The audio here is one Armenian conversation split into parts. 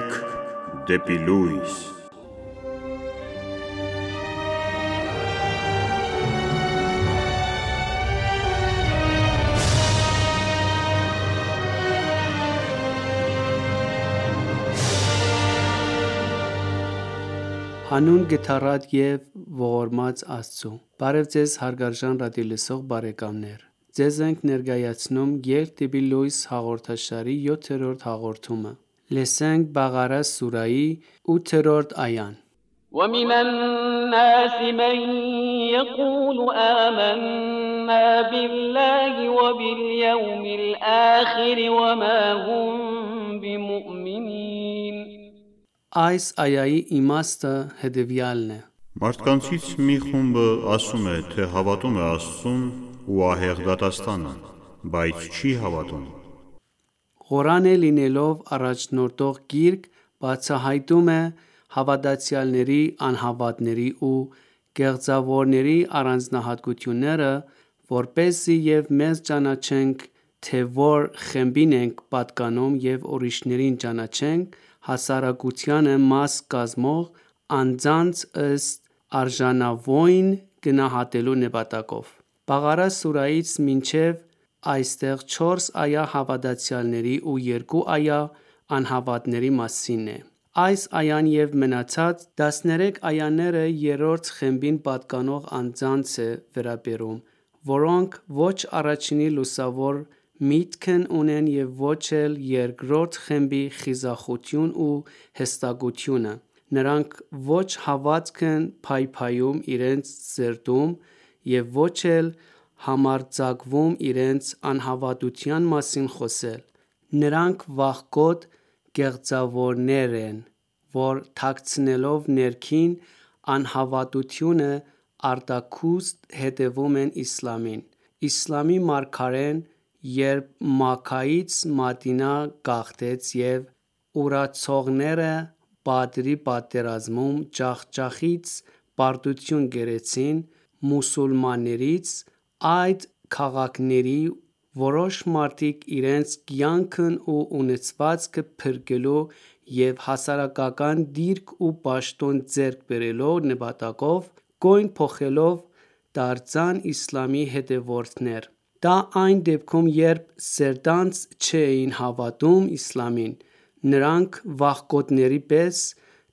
ենք դեպի լույս։ Հանուն գթառատ և ողորմած Աստծու։ Բարև ձեզ հարգարժան ռադիոլսող բարեկամներ։ Ձեզ ենք ներկայացնում Ելք դեպի լույս հաղորդաշարի 7-րդ հաղորդումը։ Լսենք Բաղարա սուրայի 8-րդ այան։ وَمِنَ النَّاسِ مَن يَقُولُ آمَنَّا بِاللَّهِ وَبِالْيَوْمِ الْآخِرِ وَمَا هُم بِمُؤْمِنِينَ Այս այայի իմաստը հետևյալն է. Մարդկանցից մի խումբը ասում է, թե հավատում է Աստծուն ու ահեղ դատաստանը, բայց չի հավատում։ Ղուրանը լինելով առաջնորդող գիրք, բացահայտում է հավատացյալների, անհավատների ու կեղծավորների առանձնահատկությունները, որպեսզի և մեզ ճանաչենք, թե որ խմբին ենք պատկանում և ուրիշներին ճանաչենք հասարակությանը մաս կազմող անձանց ըստ արժանավույն գնահատելու նպատակով։ Բաղարա սուրայից մինչև այստեղ 4 այա հավատացյալների ու 2 այա անհավատների մասին է։ Այս այան և մնացած 13 այաները երրորդ խմբին պատկանող անձանց է վերաբերում, որոնք ոչ առաջինի լուսավոր միտքն ունեն և ոչ էլ երկրորդ խմբի խիզախություն ու հստակությունը։ Նրանք ոչ հավատք են փայփայում իրենց սրտում և ոչ էլ համարձակվում իրենց անհավատության մասին խոսել։ Նրանք վախկոտ կեղծավորներ են, որ թաքցնելով ներքին անհավատությունը արտաքուստ հետևում են իսլամին։ Իսլամի մարգարեն, երբ Մաքքայից Մադինա գաղթեց և ուրացողները Բադրի պատերազմում ջախջախից պարտություն կերեցին մուսուլմաններից, այդ քաղաքների որոշ մարդիկ իրենց կյանքն ու ունեցվածքը փրկելու և հասարակական դիրք ու պաշտոն ձեռք բերելու նպատակով կոյն փոխելով դարձան իսլամի հետևորդներ։ Դա այն դեպքում, երբ սերտանց չէին հավատում իսլամին, նրանք վախկոտների պես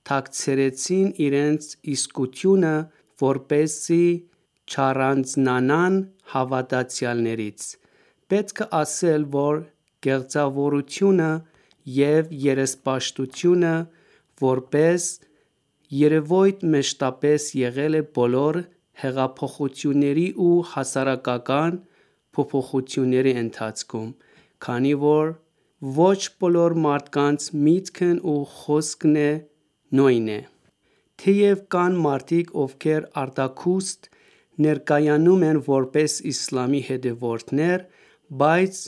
թաքցրեցին իրենց իսկությունը, որպեսզի չառանձնանան հավատացյալներից։ Պետք է ասել, որ կեղծավորությունը և երեսպաշտությունը որպես երևույթ մշտապես եղել է բոլոր հեղափոխությունների ու հասարակական փոփոխությունների ընթացքում, քանի որ ոչ բոլոր մարդկանց միտքն ու խոսքն նույնն է։ Թեև կան մարդիկ, ովքեր արտաքուստ ներկայանում են որպես իսլամի հետևորդներ, բայց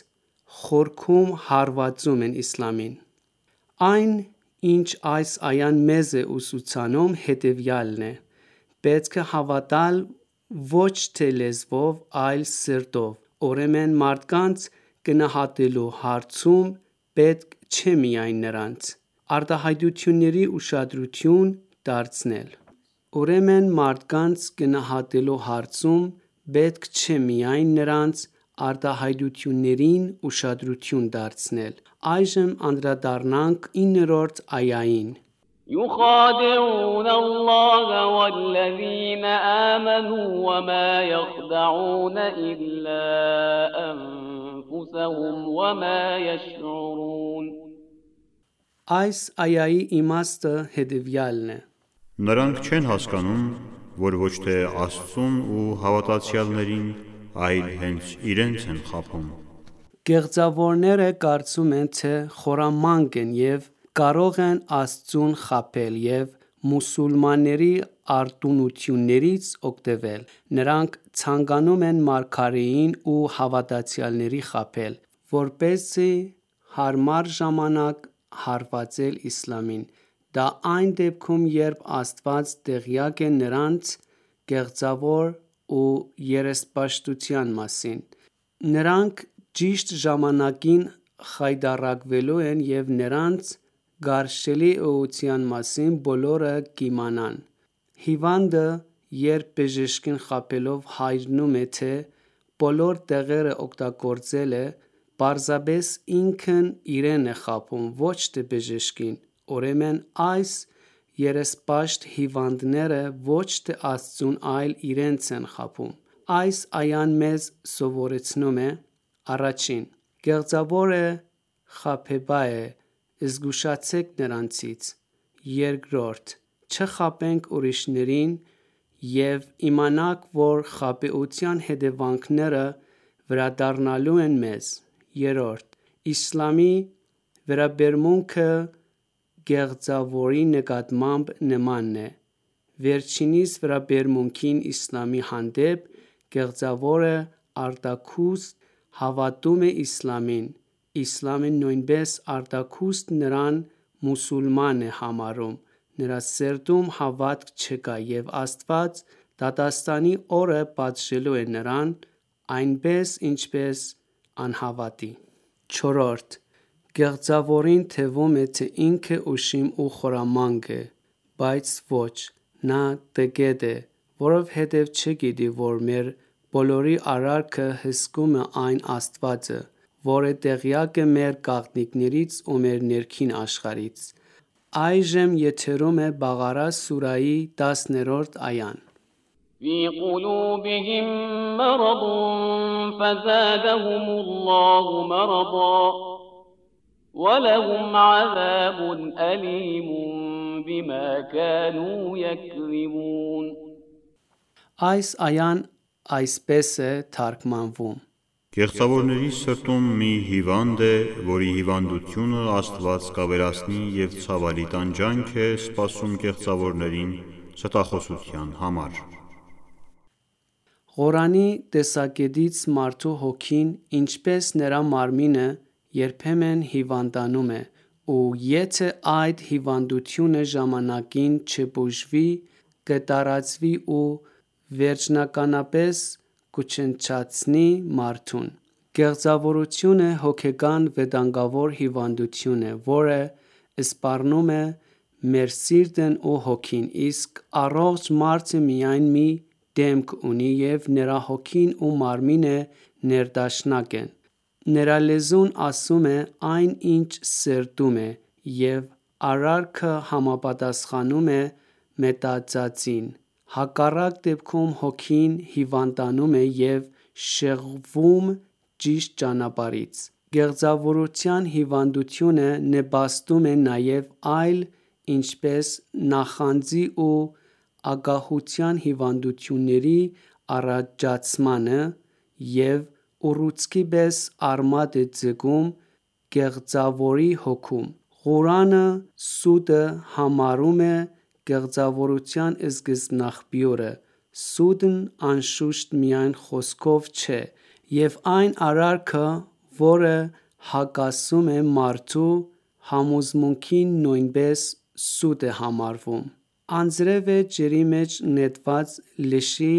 խորքում հարվածում են իսլամին։ Այն, ինչ այս այան մեզ է ուսուցանում, հետևյալն է. պետք է հավատալ ոչ թե լեզվով, այլ սրտով։ Ուրեմն մարդկանց գնահատելու հարցում պետք չէ միայն նրանց արտահայտություններին ուշադրություն դարձնել։ Այժմ անդրադառնանք 9-րդ այային։ يُخَادِعُونَ اللَّهَ وَالَّذِينَ آمَنُوا وَمَا يَخْدَعُونَ إِلَّا أَنفُسَهُمْ وَمَا يَشْعُرُونَ Այս այայի իմաստը հետևյալն է. Նրանք չեն հասկանում, որ ոչ թե Աստծուն ու հավատացյալներին, այլ հենց իրենց են խաբում։ Կեղծավորները կարծում են, թե խորամանկ են և կարող են Աստծուն խաբել և մուսուլմանների արտոնություններից օգտվել։ Նրանք ցանկանում են մարգարեին ու հավատացյալներին խաբել, որպեսզի հարմար ժամանակ հարվածել իսլամին։ Դա այն դեպքում, երբ Աստված տեղյակ է նրանց կեղծավոր ու երեսպաշտության մասին։ Նրանք ճիշտ ժամանակին խայտառակվելու են և նրանց գարշելի ուղղության մասին բոլորը կիմանան։ Հիվանդը, երբ բժշկին խաբելով հայրնում է, թե բոլոր տեղերը օգտագործել է, պարզապես ինքն իրեն է խաբում, ոչ թե բժշկին։ Ուրեմն այս երեսպաշտ հիվանդները ոչ թե Աստծուն, այլ իրենց են խաբում։ Այս այան մեզ սովորեցնում է. առաջին, գեղձավորը խաբեբա է, զգուշացեք նրանցից։ Երկրորդ, չխաբենք ուրիշներին և իմանաք, որ խաբեության հետևանքները վերադառնալու են մեզ։ Երրորդ, իսլամի վերաբերմունքը գեղձավորի նկատմամբ նմանն է։ Վերջինիս վերաբերմունքին իսլամի հանդեպ գեղձավորը արտաքուստ հավատում է իսլամին, իսլամը նույնպես արտաքուստ նրան մուսուլման է համարում, նրա սրտում հավատք չկա, և Աստված դատաստանի օրը պատժելու է նրան, այնպես ինչպես անհավատի։ Չորրորդ, գեղձավորին թվում է, թե ինքը ուշիմ ու խորամանկ է, բայց ոչ, նա տգետ է, որովհետև չգիտի, որ մեր բոլորի արարքը հսկում է այն Աստվածը, որը տեղյակ է մեր գաղտնիքներից ու մեր ներքին աշխարհից։ Այժմ եթերում է Բաղարա սուրահի 10-րդ այան։ في قلوبهم مرض فزادهم الله مرضا ولهم عذاب أليم بما كانوا يكذبون Այս այան այսպես է թարգմանվում. Գեղձավորների սրտում մի հիվանդ է, որի հիվանդությունը Աստված կավերացնի և ցավալի տանջանք է սպասում գեղձավորներին ստախոսության համար։ Ղուրանի տեսակետից մարդու հոգին, ինչպես նրա մարմինը, երբեմն հիվանդանում է, ու եթե այդ հիվանդությունը ժամանակին չբուժվի, կտարածվի ու վերջնականապես կոչնչացնի մարդուն։ Գեղձավորությունը հոգեկան վտանգավոր հիվանդություն է, որը սպառնում է մեր սիրտն ու հոգին, իսկ առողջ մարդը միայն մի դեմք ունի, և նրա հոգին ու մարմինը ներդաշնակ են։ Նրա լեզուն ասում է այն, ինչ սրտում է, և արարքը համապատասխանում է մտածածին։ Հակառակ դեպքում հոգին հիվանդանում է և շեղվում ճիշտ ճանապարհից։ Գեղձավորության հիվանդությունը նպաստում է նաև այլ, ինչպես նախանձի ու ագահության հիվանդությունների առաջացմանը և ուռուցքի պես արմատ է ձգում գեղձավորի հոգում։ Ղուրանը սուտը համարում է գեղձավորության սկզբնաղբյուրը։ Սուտն անշուշտ միայն խոսքով չէ, և այն արարքը, որը հակասում է մարդու համոզմունքին, նույնպես սուտ է համարվում։ Անձրևը ջրի մեջ նետված լշի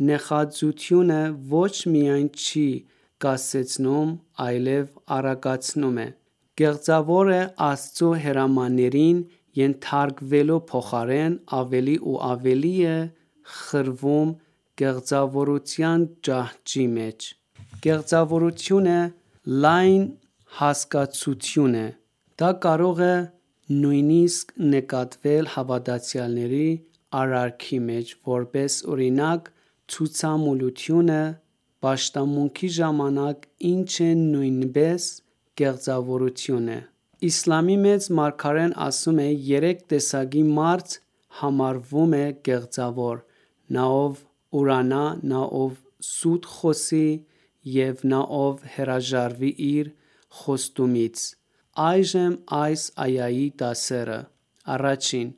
նեխածությունը ոչ միայն չի կասեցնում, այլև արագացնում է։ Գեղձավորը Աստծո հրամաններին ենթարկվելու փոխարեն ավելի ու ավելի է խրվում գեղձավորության ճահճի մեջ։ Գեղձավորությունը լայն հասկացություն է։ Դա կարող է նույնիսկ նկատվել հավատացյալների արարքի մեջ, որպես օրինակ՝ ցուցամոլությունը պաշտամունքի ժամանակ, ինչը նույնպես գեղձավորություն է։ Իսլամի Մեծ Մարգարեն ասում է. «Երեք տեսակի մարդ համարվում է գեղձավոր. նա, ով ուրանա, նա, ով սուտ խոսի, և նա, ով հրաժարվի իր խոստումից»։ Այժմ այս այայի դասերը. Առաջին,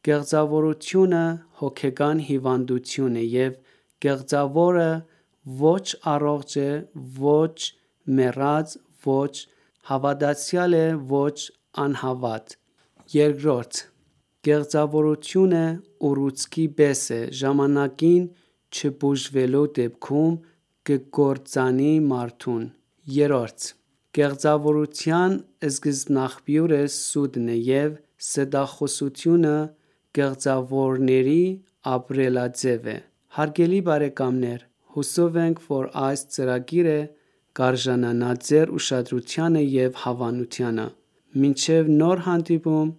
գեղձավորությունը հոգեկան հիվանդություն է, և գեղձավորը ոչ առողջ է, ոչ մեռած, ոչ հավատացյալ է, ոչ անհավատ։ Երկրորդ, գեղձավորությունը ուռուցքի պես է, ժամանակին չբուժվելու դեպքում կկործանի մարդուն։ Երրորդ, Կեղծավորության սկզբնաղբյուրը սուտն է և ստախոսությունը կեղծավորների ապրելաձև է։ Հարգելի բարեկամներ, հուսով ենք, որ այս ծրագիրը կարժանանա ձեր ուշադրությանը և հավանությանը։ Մինչև նոր հանդիպում,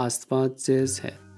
Աստված ձեզ հետ։